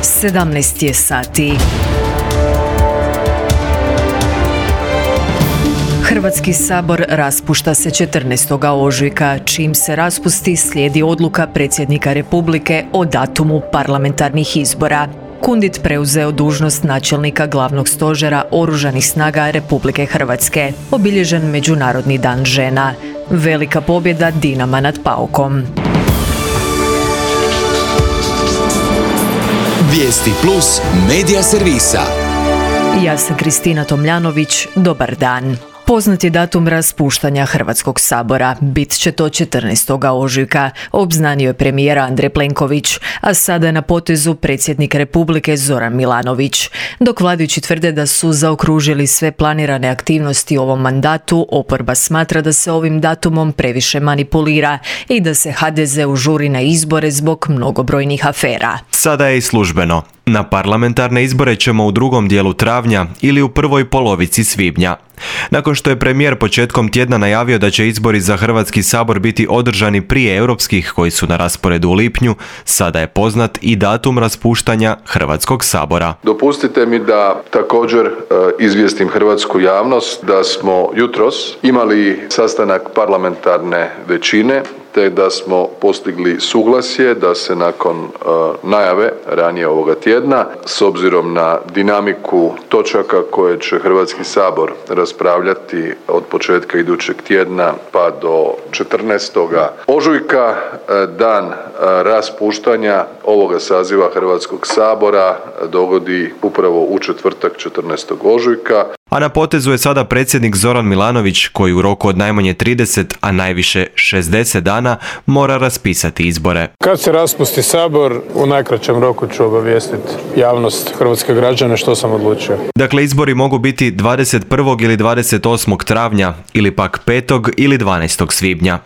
17 je sati. Hrvatski sabor raspušta se 14. ožujka, čim se raspusti slijedi odluka predsjednika Republike o datumu parlamentarnih izbora. Kundit preuzeo dužnost načelnika glavnog stožera Oružanih snaga Republike Hrvatske. Obilježen Međunarodni dan žena. Velika pobjeda Dinama nad Paukom. Vijesti plus medija servisa. Ja sam Kristina Tomljanović, dobar dan. Poznat je datum raspuštanja Hrvatskog sabora. Bit će to 14. ožujka, obznanio je premijer Andrej Plenković, a sada je na potezu predsjednik Republike Zoran Milanović. Dok vladajući tvrde da su zaokružili sve planirane aktivnosti u ovom mandatu, oporba smatra da se ovim datumom previše manipulira i da se HDZ-u žuri na izbore zbog mnogobrojnih afera. Sada je i službeno. Na parlamentarne izbore ćemo u drugom dijelu travnja ili u prvoj polovici svibnja. Nakon što je premijer početkom tjedna najavio da će izbori za Hrvatski sabor biti održani prije europskih koji su na rasporedu u lipnju, sada je poznat i datum raspuštanja Hrvatskog sabora. Dopustite mi da također izvijestim hrvatsku javnost da smo jutros imali sastanak parlamentarne većine te da smo postigli suglasje da se nakon najave ranije ovoga tjedna, s obzirom na dinamiku točaka koje će Hrvatski sabor raspravljati od početka idućeg tjedna pa do 14. ožujka, dan raspuštanja ovoga saziva Hrvatskog sabora dogodi upravo u četvrtak 14. ožujka. A na potezu je sada predsjednik Zoran Milanović koji u roku od najmanje 30, a najviše 60 dana mora raspisati izbore. Kad se raspusti sabor, u najkraćem roku ću obavijestiti javnost, hrvatske građane što sam odlučio. Dakle, izbori mogu biti 21. ili 28. travnja ili pak 5. ili 12. svibnja.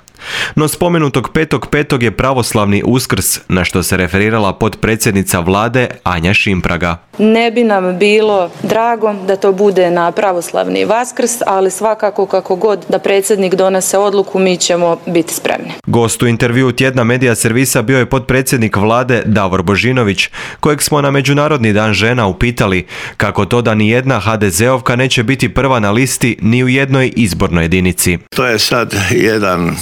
No spomenutog 5.5. je pravoslavni Uskrs, na što se referirala potpredsjednica vlade Anja Šimpraga. Ne bi nam bilo drago da to bude na pravoslavni Vaskrs, ali svakako kako god da predsjednik donese odluku, mi ćemo biti spremni. Gost u intervjuu tjedna medija servisa bio je potpredsjednik vlade Davor Božinović, kojeg smo na Međunarodni dan žena upitali kako to da ni jedna HDZ-ovka neće biti prva na listi ni u jednoj izbornoj jedinici. To je sad jedan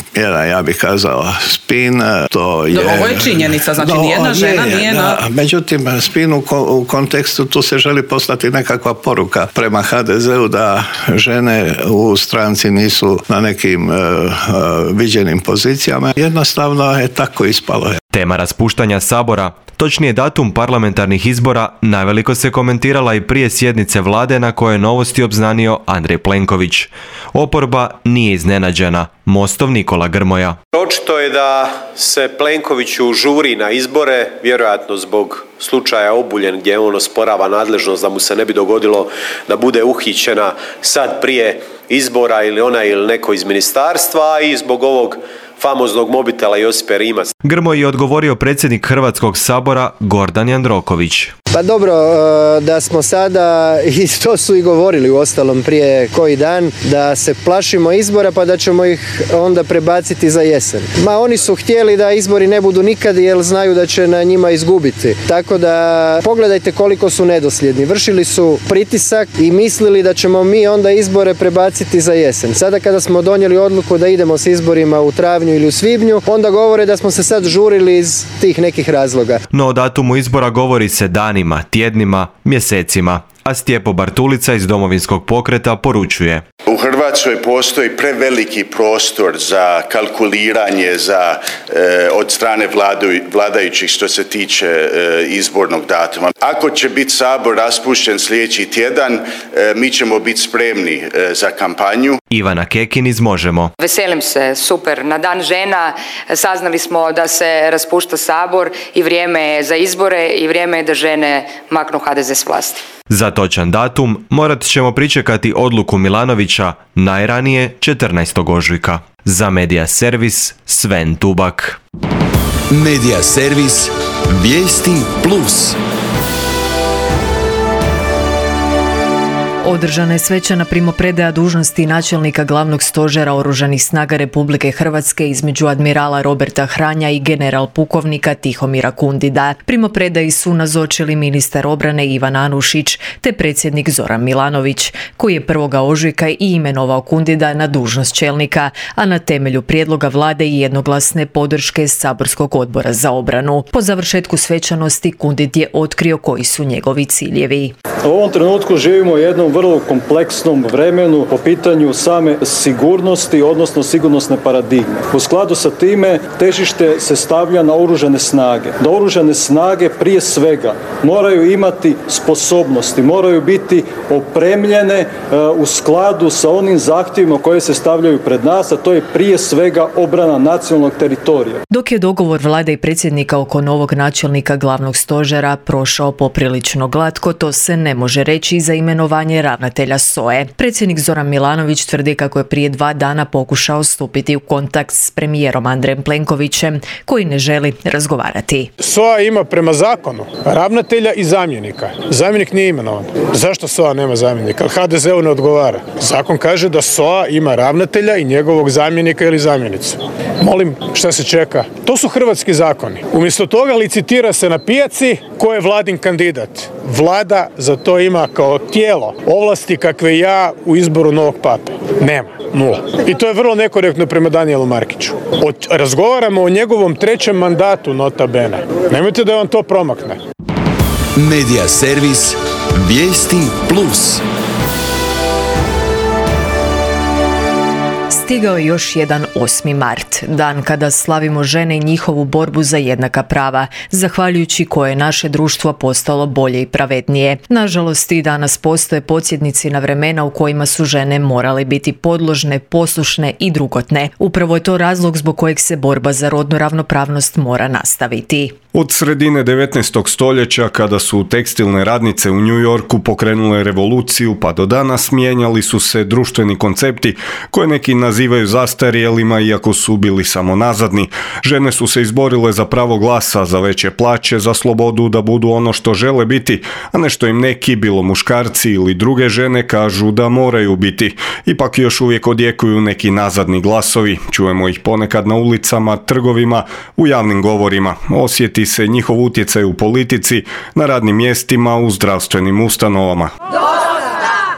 ja bih kazao spin, to je... Ovo je činjenica, znači nijedna žena nije na... Međutim, spin u kontekstu tu se želi poslati nekakva poruka prema HDZ-u da žene u stranci nisu na nekim viđenim pozicijama. Jednostavno je tako ispalo. Tema raspuštanja sabora, točnije datum parlamentarnih izbora, naveliko se komentirala i prije sjednice vlade na kojoj je novosti obznanio Andrej Plenković. Oporba nije iznenađena. Mostov Nikola Grmoja. Očito je da se Plenkoviću žuri na izbore, vjerojatno zbog slučaja Obuljen gdje on osporava nadležnost da mu se ne bi dogodilo da bude uhićena sad prije izbora ili ona ili neko iz ministarstva i zbog ovog famoznog mobitela Josipe Rimac. Grmoji je odgovorio predsjednik Hrvatskog sabora Gordan Jandroković. Pa dobro, da smo sada, i to su i govorili uostalom prije koji dan, da se plašimo izbora pa da ćemo ih onda prebaciti za jesen. Ma oni su htjeli da izbori ne budu nikad jer znaju da će na njima izgubiti. Tako da pogledajte koliko su nedosljedni. Vršili su pritisak i mislili da ćemo mi onda izbore prebaciti za jesen. Sada kada smo donijeli odluku da idemo s izborima u travnju ili u svibnju, onda govore da smo se sad žurili iz tih nekih razloga. No o datumu izbora govori se danima, tjednima, mjesecima. A Stjepo Bartulica iz Domovinskog pokreta poručuje. U Hrvatskoj postoji preveliki prostor za kalkuliranje od strane vladajućih što se tiče izbornog datuma. Ako će biti sabor raspušten sljedeći tjedan, mi ćemo biti spremni za kampanju. Ivana Kekin iz Možemo. Veselim se, super. Na dan žena saznali smo da se raspušta sabor i vrijeme je za izbore i vrijeme je da žene maknu HDZ s vlasti. Za točan datum morat ćemo pričekati odluku Milanovića najranije 14. ožujka. Za Medija servis Sven Tubak. Medija servis Vijesti plus. Održana je svečana primopredaja dužnosti načelnika glavnog stožera Oružanih snaga Republike Hrvatske između admirala Roberta Hranja i general pukovnika Tihomira Kundida. Primopredaji su nazočili ministar obrane Ivan Anušić te predsjednik Zoran Milanović, koji je 1. ožujka i imenovao Kundida na dužnost čelnika, a na temelju prijedloga vlade i jednoglasne podrške Saborskog odbora za obranu. Po završetku svečanosti Kundid je otkrio koji su njegovi ciljevi. U ovom trenutku živimo u jednom vrlo kompleksnom vremenu po pitanju same sigurnosti, odnosno sigurnosne paradigme. U skladu sa time težište se stavlja na oružane snage. Da oružane snage prije svega moraju imati sposobnosti, moraju biti opremljene u skladu sa onim zahtjevima koje se stavljaju pred nas, a to je prije svega obrana nacionalnog teritorija. Dok je dogovor vlade i predsjednika oko novog načelnika glavnog stožera prošao poprilično glatko, to se ne može reći za imenovanje ravnatelja SOA-e. Predsjednik Zoran Milanović tvrdi kako je prije 2 dana pokušao stupiti u kontakt s premijerom Andrejem Plenkovićem, koji ne želi razgovarati. SOA ima prema zakonu ravnatelja i zamjenika. Zamjenik nije imenovan. Zašto SOA nema zamjenika? HDZ-u ne odgovara. Zakon kaže da SOA ima ravnatelja i njegovog zamjenika ili zamjenicu. Molim, šta se čeka? To su hrvatski zakoni. Umjesto toga licitira se na pijaci ko je vladin kandidat. Vlada za to ima kao tijelo ovlasti kakve ja u izboru novog pape. Nema. 0. I to je vrlo nekorektno prema Danijelu Markiću. Razgovaramo o njegovom 3. mandatu, nota bene. Nemojte da vam to promakne. Medija servis Vijesti Plus. Stigao je još jedan 8. mart, dan kada slavimo žene i njihovu borbu za jednaka prava, zahvaljujući koje je naše društvo postalo bolje i pravednije. Nažalost, i danas postoje podsjetnici na vremena u kojima su žene morale biti podložne, poslušne i drugotne. Upravo je to razlog zbog kojeg se borba za rodnu ravnopravnost mora nastaviti. Od sredine 19. stoljeća, kada su tekstilne radnice u New Yorku pokrenule revoluciju, pa do danas mijenjali su se društveni koncepti koje neki nazivaju zastarjelima, iako su bili samo nazadni. Žene su se izborile za pravo glasa, za veće plaće, za slobodu da budu ono što žele biti, a ne što im neki, bilo muškarci ili druge žene, kažu da moraju biti. Ipak još uvijek odjekuju neki nazadni glasovi. Čujemo ih ponekad na ulicama, trgovima, u javnim govorima. Osjeti se njihov utjecaj u politici, na radnim mjestima, u zdravstvenim ustanovama.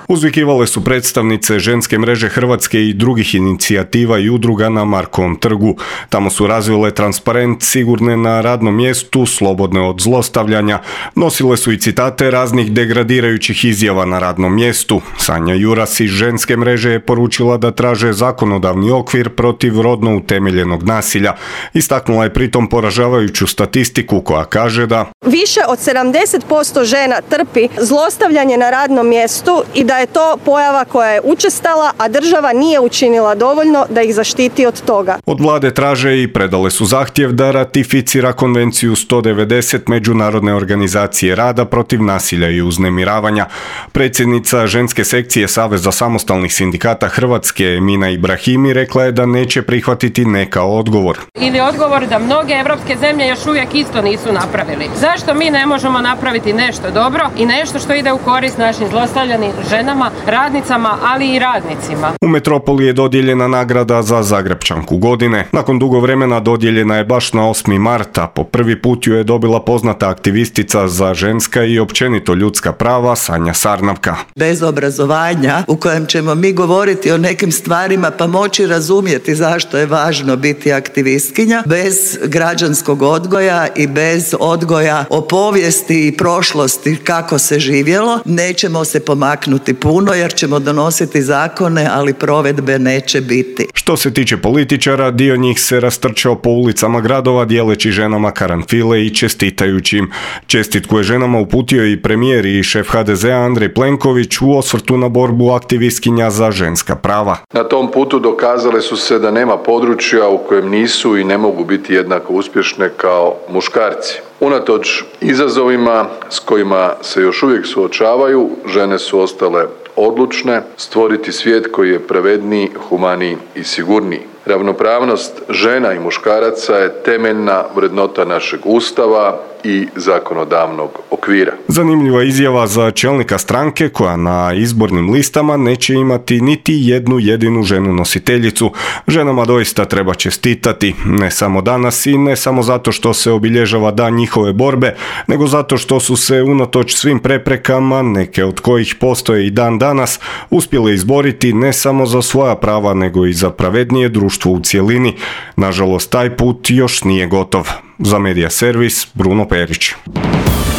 Uzvikivale su predstavnice ženske mreže Hrvatske i drugih inicijativa i udruga na Markovom trgu. Tamo su razvile transparent sigurne na radnom mjestu, slobodne od zlostavljanja. Nosile su i citate raznih degradirajućih izjava na radnom mjestu. Sanja Juras iz ženske mreže je poručila da traže zakonodavni okvir protiv rodno utemeljenog nasilja. Istaknula je pritom poražavajuću statistiku koja kaže da više od 70% žena trpi zlostavljanje na radnom mjestu i da je to pojava koja je učestala, a država nije učinila dovoljno da ih zaštiti od toga. Od vlade traže i predale su zahtjev da ratificira konvenciju 190 Međunarodne organizacije rada protiv nasilja i uznemiravanja. Predsjednica ženske sekcije Saveza samostalnih sindikata Hrvatske Emina Ibrahimi rekla je da neće prihvatiti ne kao odgovor. Ili odgovor da mnoge evropske zemlje još uvijek isto nisu napravili. Zašto mi ne možemo napraviti nešto dobro i nešto što ide u korist našim zlostavljanim ženama, radnicama, ali i radnicima? U metropoli je dodijeljena nagrada za Zagrepčanku godine. Nakon dugo vremena dodijeljena je baš na 8. marta. Po prvi put ju je dobila poznata aktivistica za ženska i općenito ljudska prava Sanja Sarnavka. Bez obrazovanja u kojem ćemo mi govoriti o nekim stvarima pa moći razumjeti zašto je važno biti aktivistkinja, bez građanskog odgoja i bez odgoja o povijesti i prošlosti kako se živjelo, nećemo se pomaknuti puno jer ćemo donositi zakone, ali provedbe neće biti. Što se tiče političara, dio njih se rastrčao po ulicama gradova dijeleći ženama karanfile i čestitajući im. Čestitku je ženama uputio i premijer i šef HDZ-a Andrej Plenković u osvrtu na borbu aktivistkinja za ženska prava. Na tom putu dokazale su se da nema područja u kojem nisu i ne mogu biti jednako uspješne kao muškarci. Unatoč izazovima s kojima se još uvijek suočavaju, žene su ostale odlučne stvoriti svijet koji je pravedniji, humaniji i sigurniji. Ravnopravnost žena i muškaraca je temeljna vrednota našeg Ustava i zakonodavnog okvira. Zanimljiva izjava za čelnika stranke koja na izbornim listama neće imati niti jednu jedinu ženu nositeljicu. Ženama doista treba čestitati, ne samo danas i ne samo zato što se obilježava dan njihove borbe, nego zato što su se unatoč svim preprekama, neke od kojih postoje i dan danas, uspjele izboriti ne samo za svoja prava, nego i za pravednije društvo u cjelini. Nažalost, taj put još nije gotov. Za Medija servis, Bruno Perić.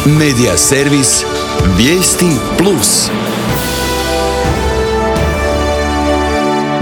Medija servis, vijesti plus.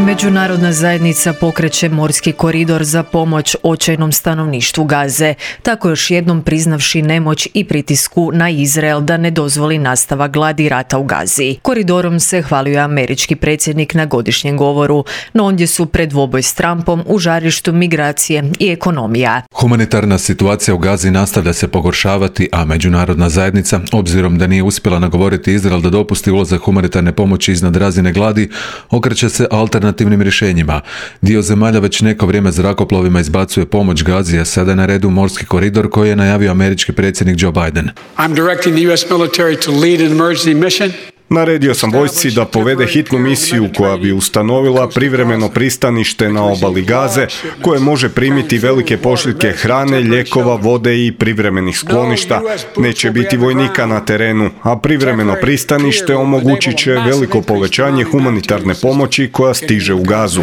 Međunarodna zajednica pokreće morski koridor za pomoć očajnom stanovništvu Gaze, tako još jednom priznavši nemoć i pritisku na Izrael da ne dozvoli nastavak gladi i rata u Gazi. Koridorom se hvalio američki predsjednik na godišnjem govoru, no ondje su pred dvoboj s Trumpom u žarištu migracije i ekonomija. Humanitarna situacija u Gazi nastavlja se pogoršavati, a međunarodna zajednica, obzirom da nije uspjela nagovoriti Izrael da dopusti ulazak humanitarne pomoći iznad razine gladi, okreće se alternativnim rješenjima. Dio zemalja već neko vrijeme zrakoplovima izbacuje pomoć Gazi, a sada je na redu morski koridor koji je najavio američki predsjednik Joe Biden. I'm directing the US military to lead an emergency mission. Naredio sam vojsci da povede hitnu misiju koja bi ustanovila privremeno pristanište na obali Gaze koje može primiti velike pošiljke hrane, lijekova, vode i privremenih skloništa. Neće biti vojnika na terenu, a privremeno pristanište omogućit će veliko povećanje humanitarne pomoći koja stiže u Gazu.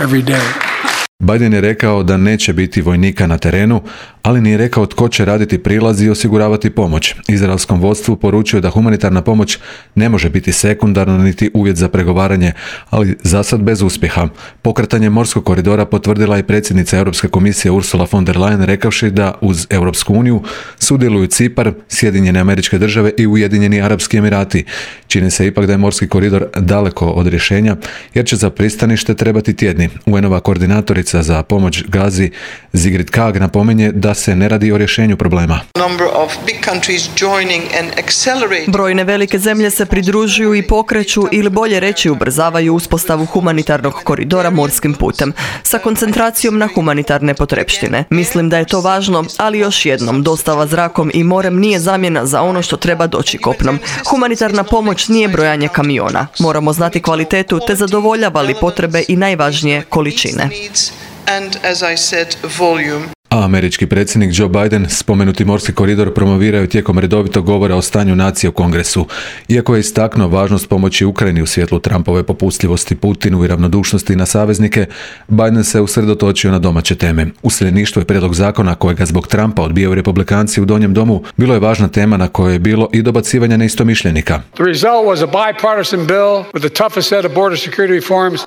Biden je rekao da neće biti vojnika na terenu, ali nije rekao tko će raditi prilaz i osiguravati pomoć. Izraelskom vodstvu poručio da humanitarna pomoć ne može biti sekundarno niti uvjet za pregovaranje, ali zasad bez uspjeha. Pokretanje morskog koridora potvrdila je predsjednica Europske komisije Ursula von der Leyen rekavši da uz Europsku uniju sudjeluju Cipar, Sjedinjene Američke Države i Ujedinjeni Arapski Emirati. Čini se ipak da je morski koridor daleko od rješenja, jer će za pristanište trebati tjedni. UN-ova koordinatorica za pomoć Gazi Sigrid Kaag napominje da se ne radi o rješenju problema. Brojne velike zemlje se pridružuju i pokreću ili bolje reći ubrzavaju uspostavu humanitarnog koridora morskim putem sa koncentracijom na humanitarne potrepštine. Mislim da je to važno, ali još jednom, dostava zrakom i morem nije zamjena za ono što treba doći kopnom. Humanitarna pomoć nije brojanje kamiona. Moramo znati kvalitetu te zadovoljava li potrebe i najvažnije količine. A američki predsjednik Joe Biden spomenuti morski koridor promovirao tijekom redovitog govora o stanju nacije u Kongresu. Iako je istaknuo važnost pomoći Ukrajini u svjetlu Trumpove popustljivosti Putinu i ravnodušnosti na saveznike, Biden se usredotočio na domaće teme. Useljeništvo i prijedlog zakona kojega zbog Trumpa odbijaju republikanci u Donjem domu bilo je važna tema na kojoj je bilo i dobacivanja neistomišljenika.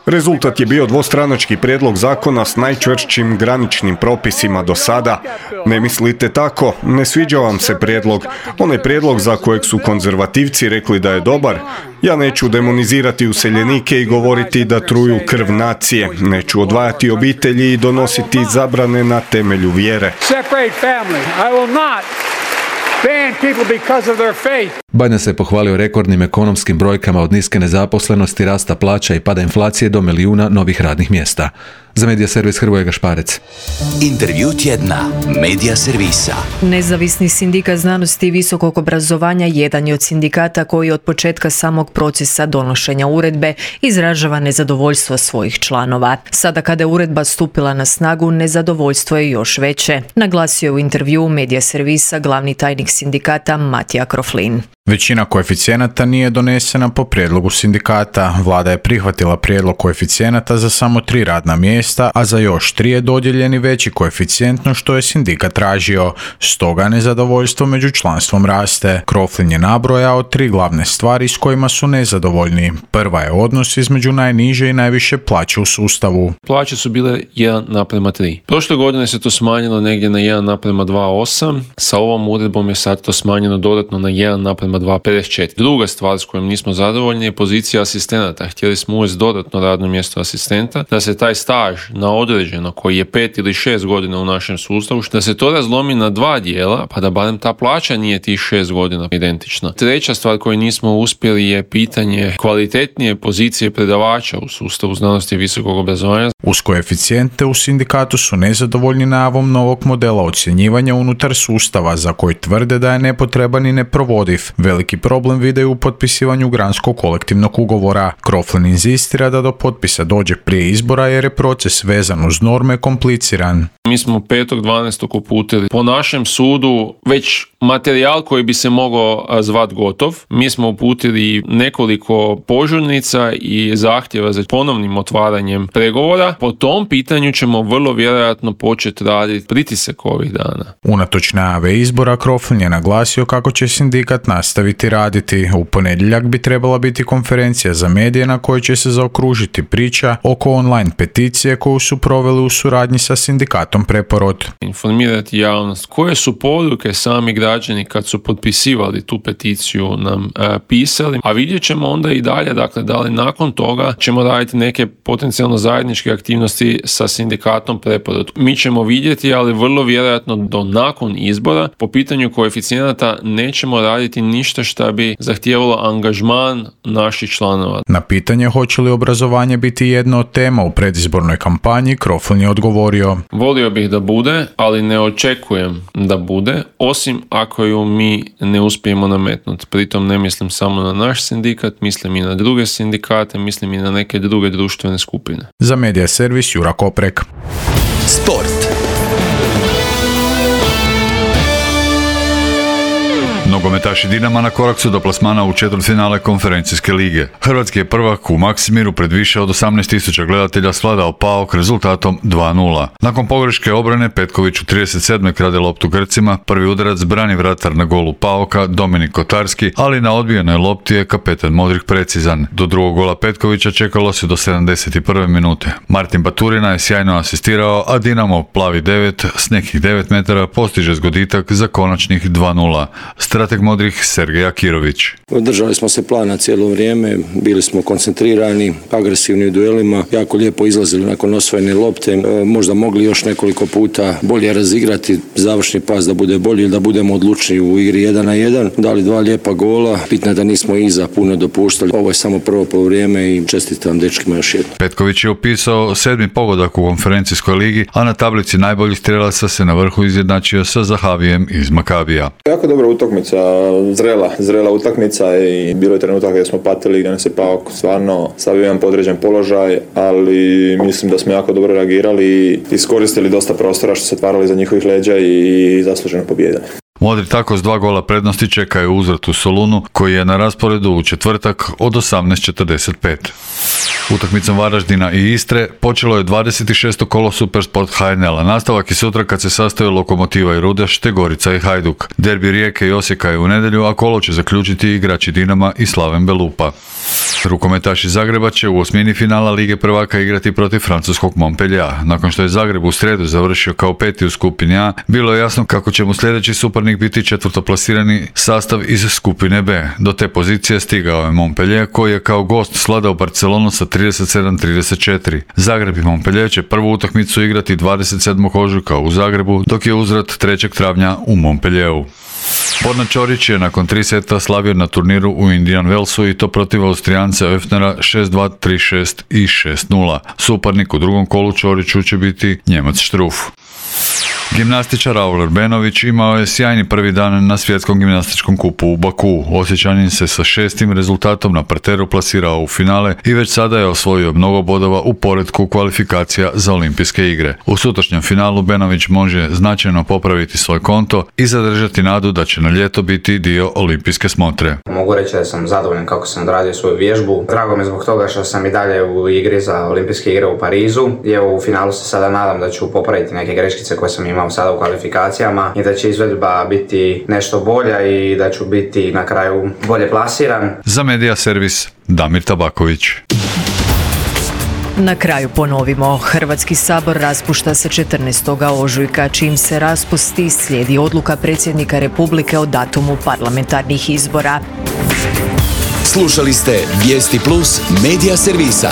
Rezultat je bio dvostranački prijedlog zakona s najčvršćim graničnim propisima do sada. Ne mislite tako? Ne sviđa vam se prijedlog. Onaj prijedlog za kojeg su konzervativci rekli da je dobar. Ja neću demonizirati useljenike i govoriti da truju krv nacije. Neću odvajati obitelji i donositi zabrane na temelju vjere. Biden se pohvalio rekordnim ekonomskim brojkama od niske nezaposlenosti, rasta plaća i pada inflacije do milijuna novih radnih mjesta. Za Medija servis Hrvoje Gašparec. Intervju tjedna Medija servisa. Nezavisni sindikat znanosti i visokog obrazovanja jedan je od sindikata koji od početka samog procesa donošenja uredbe izražava nezadovoljstvo svojih članova. Sada kada je uredba stupila na snagu, nezadovoljstvo je još veće, naglasio je u intervjuu Medija servisa glavni tajnik sindikata Matija Kroflin. Većina koeficijenata nije donesena po prijedlogu sindikata. Vlada je prihvatila prijedlog koeficijenata za samo 3 radna mjesta, a za još 3 je dodijeljeni veći koeficijent no što je sindikat tražio. Stoga nezadovoljstvo među članstvom raste. Kroflin je nabrojao 3 glavne stvari s kojima su nezadovoljni. Prva je odnos između najniže i najviše plaće u sustavu. Plaće su bile 1:3. Prošle godine se to smanjilo negdje na 1:2,8. Sa ovom uredbom je sad to smanjeno dodatno na 1:2,54. Druga stvar s kojom nismo zadovoljni je pozicija asistenata. Htjeli smo uvesti dodatno radno mjesto asistenta, da se taj staž na određeno, koji je 5 ili 6 godina u našem sustavu, da se to razlomi na 2 dijela, pa da barem ta plaća nije tih 6 godina identična. Treća stvar koju nismo uspjeli je pitanje kvalitetnije pozicije predavača u sustavu znanosti i visokog obrazovanja. Uz koeficijente u sindikatu su nezadovoljni najavom novog modela ocjenjivanja unutar sustava za koji tvrde da je nepotreban i neprovodiv. Veliki problem vide u potpisivanju granskog kolektivnog ugovora. Croflin inzistira da do potpisa dođe prije izbora jer je proces vezan uz norme kompliciran. Mi smo 5.12. uputili po našem sudu već materijal koji bi se mogao zvat gotov. Mi smo uputili nekoliko požurnica i zahtjeva za ponovnim otvaranjem pregovora. Po tom pitanju ćemo vrlo vjerojatno početi raditi pritisak ovih dana. Unatoč najave izbora, Croflin je naglasio kako će sindikat nastaviti raditi. U ponedjeljak bi trebala biti konferencija za medije na kojoj će se zaokružiti priča oko online peticije koju su proveli u suradnji sa sindikatom Preporod. Informirati javnost koje su poruke sami građani kad su potpisivali tu peticiju nam pisali, a vidjet ćemo onda i dalje, dakle, da li nakon toga ćemo raditi neke potencijalno zajedničke aktivnosti sa sindikatom Preporod. Mi ćemo vidjeti, ali vrlo vjerojatno do nakon izbora po pitanju koeficijenata nećemo raditi ništa što bi zahtijevalo angažman naših članova. Na pitanje hoće li obrazovanje biti jedna od tema u predizbornoj kampanji, Croflin je odgovorio: volio bih da bude, ali ne očekujem da bude, osim ako ju mi ne uspijemo nametnuti. Pritom ne mislim samo na naš sindikat, mislim i na druge sindikate, mislim i na neke druge društvene skupine. Za Medija servis Jura Koprek. Sport. Nogometaši Dinama na korak su do plasmana u četvrtfinale konferencijske lige. Hrvatski je prvak u Maksimiru pred više od 18.000 gledatelja svladao PAOK rezultatom 2:0. Nakon pogreške obrane Petković u 37. krade loptu Grcima, prvi udarac brani vratar na golu PAOK-a Dominik Kotarski, ali na odbijenoj lopti je kapetan Modrić precizan. Do drugog gola Petkovića čekalo se do 71. minute. Martin Baturina je sjajno asistirao, a Dinamo plavi 9 s nekih 9 metara postiže zgoditak za konačnih 2:0. Strateg Modrih Sergej Akirović. Držali smo se plana cijelo vrijeme, bili smo koncentrirani, agresivni u duelima, jako lijepo izlazili nakon osvojene lopte, možda mogli još nekoliko puta bolje razigrati završni pas da bude bolji ili da budemo odlučni u igri 1-1. Dali 2 lijepa gola, bitno je da nismo iza puno dopuštali. Ovo je samo prvo poluvrijeme i čestitam dečkima još jednom. Petković je upisao 7. pogodak u konferencijskoj ligi, a na tablici najboljih strelaca se na vrhu izjednačio sa Zahavijem iz Makabija. Jako dobra utakmica, zrela utakmica i bilo je trenutak gdje smo patili, gdje nas je PAOK stvarno stavio jedan podređen položaj, ali mislim da smo jako dobro reagirali i iskoristili dosta prostora što se otvarali za njihovih leđa i zasluženo pobjedili. Modri tako s 2 gola prednosti čekaju uzvrat u Solunu, koji je na rasporedu u četvrtak od 18:45. Utakmicom Varaždina i Istre počelo je 26. kolo Supersport HNL-a. Nastavak je sutra kad se sastaju Lokomotiva i Rudeš te Gorica i Hajduk. Derbi Rijeke i Osijeka je u nedjelju, a kolo će zaključiti igrači Dinama i Slaven Belupa. Rukometaši Zagreba će u osmini finala Lige prvaka igrati protiv francuskog Montpelliera. Nakon što je Zagreb u srijedu završio kao 5. u skupini A, bilo je jasno kako će mu sljedeći suparnik biti četvrtoplasirani sastav iz skupine B. Do te pozicije stigao je Montpellier, koji je kao gost svladao Barcelonu sa 37-34. Zagreb i Montpellier će prvu utakmicu igrati 27. ožujka u Zagrebu, dok je uzvrat 3. travnja u Montpellieru. Borna Ćorić je nakon 3 seta slavio na turniru u Indian Wellsu i to protiv Austrijanca Öfnera 6-2, 3-6 i 6-0. Suparnik u drugom kolu Ćoriću će biti Njemac Štruf. Gimnastičar Raul Benović imao je sjajni prvi dan na svjetskom gimnastičkom kupu u Baku. Osječanin se sa 6. rezultatom na parteru plasirao u finale i već sada je osvojio mnogo bodova u poretku kvalifikacija za olimpijske igre. U sutrašnjem finalu Benović može značajno popraviti svoj konto i zadržati nadu da će na ljeto biti dio olimpijske smotre. Mogu reći da sam zadovoljan kako sam odradio svoju vježbu. Drago mi zbog toga što sam i dalje u igri za olimpijske igre u Parizu. I evo, u finalu se sada nadam da ću popraviti neke greškice koje sam imao sada u kvalifikacijama i da će izvedba biti nešto bolja i da ću biti na kraju bolje plasiran. Za Medija servis Damir Tabaković. Na kraju ponovimo, Hrvatski sabor raspušta se 14. ožujka, čim se raspusti slijedi odluka predsjednika Republike o datumu parlamentarnih izbora. Slušali ste Vijesti Plus Medija servisa.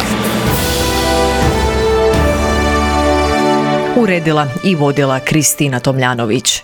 Uredila i vodila Kristina Tomljanović.